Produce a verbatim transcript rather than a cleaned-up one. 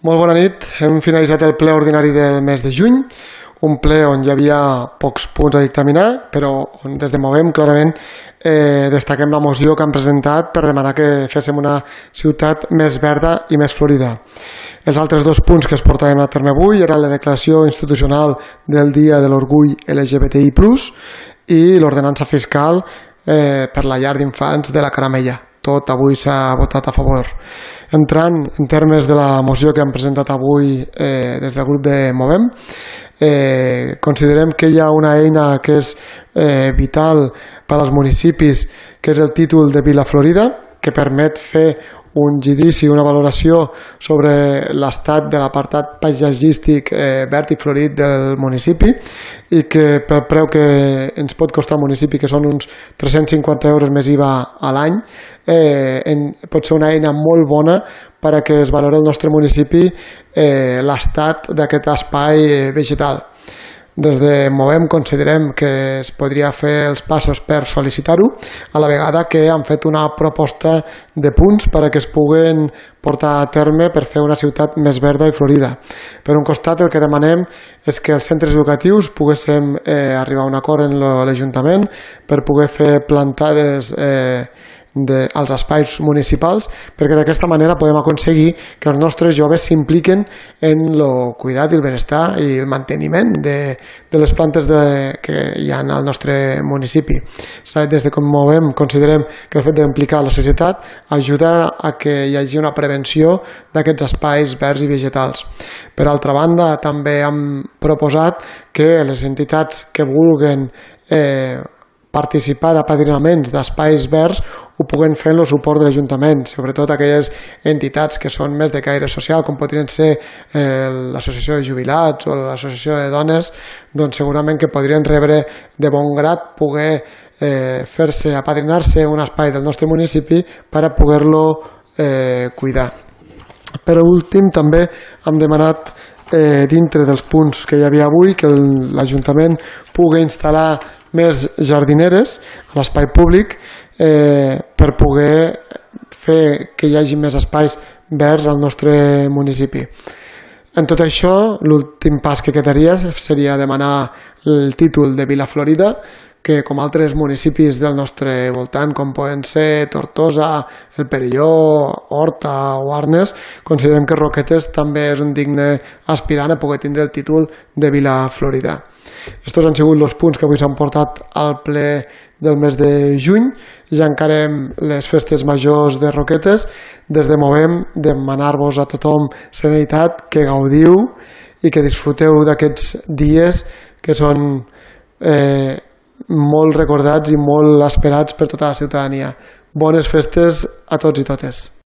Molt bona nit, hem finalitzat el ple ordinari del mes de juny, un ple on hi havia pocs punts a dictaminar, però on des de Movem clarament eh, destaquem la moció que han presentat per demanar que féssim una ciutat més verda i més florida. Els altres dos punts que es portaven a terme avui eren la declaració institucional del Dia de l'Orgull L G B T I plus, i l'ordenança fiscal eh, per la llar d'infants de la Caramella. Tot avui s'ha votat a favor. Entrant en termes de la moció que hem presentat avui eh, des del grup de Movem, eh, considerem que hi ha una eina que és eh, vital per als municipis, que és el títol de Vila Florida, que permet fer un judici, una valoració sobre l'estat de l'apartat paisatgístic eh, verd i florit del municipi, i que pel preu que ens pot costar al municipi, que són uns tres-cents cinquanta euros més I V A a l'any, eh, en, pot ser una eina molt bona per a que es valori el nostre municipi eh, l'estat d'aquest espai vegetal. Des de Movem considerem que es podria fer els passos per sol·licitar-ho, a la vegada que han fet una proposta de punts per a que es puguen portar a terme per fer una ciutat més verda i florida. Per un costat, el que demanem és que els centres educatius poguéssim eh, arribar a un acord en l'Ajuntament per poder fer plantades eh, De, als espais municipals, perquè d'aquesta manera podem aconseguir que els nostres joves s'impliquen en el cuidat i el benestar i el manteniment de, de les plantes de, que hi ha al nostre municipi. Des de com Movem considerem que el fet d'implicar la societat ajuda a que hi hagi una prevenció d'aquests espais verds i vegetals. Per altra banda, també hem proposat que les entitats que vulguen eh, participar d'apadrinaments d'espais verds ho puguen fer amb el suport de l'Ajuntament, sobretot aquelles entitats que són més de caire social, com podrien ser eh, l'associació de jubilats o l'associació de dones, doncs segurament que podrien rebre de bon grat poder eh, fer-se, apadrinar-se un espai del nostre municipi per a poder-lo eh, cuidar. Per últim, també hem demanat eh, dintre dels punts que hi havia avui que l'Ajuntament pugui instal·lar més jardineres a l'espai públic eh, per poder fer que hi hagi més espais verds al nostre municipi. En tot això, l'últim pas que quedaria seria demanar el títol de Vila Florida, que com altres municipis del nostre voltant, com poden ser Tortosa, el Perelló, Horta o Arnes, considerem que Roquetes també és un digne aspirant a poder tindre el títol de Vila Florida. Estos han sigut els punts que avui s'han portat al ple del mes de juny. Ja encarem les festes majors de Roquetes. Des de Movem, demanar-vos a tothom serenitat, que gaudiu i que disfruteu d'aquests dies que són eh, molt recordats i molt esperats per tota la ciutadania. Bones festes a tots i totes.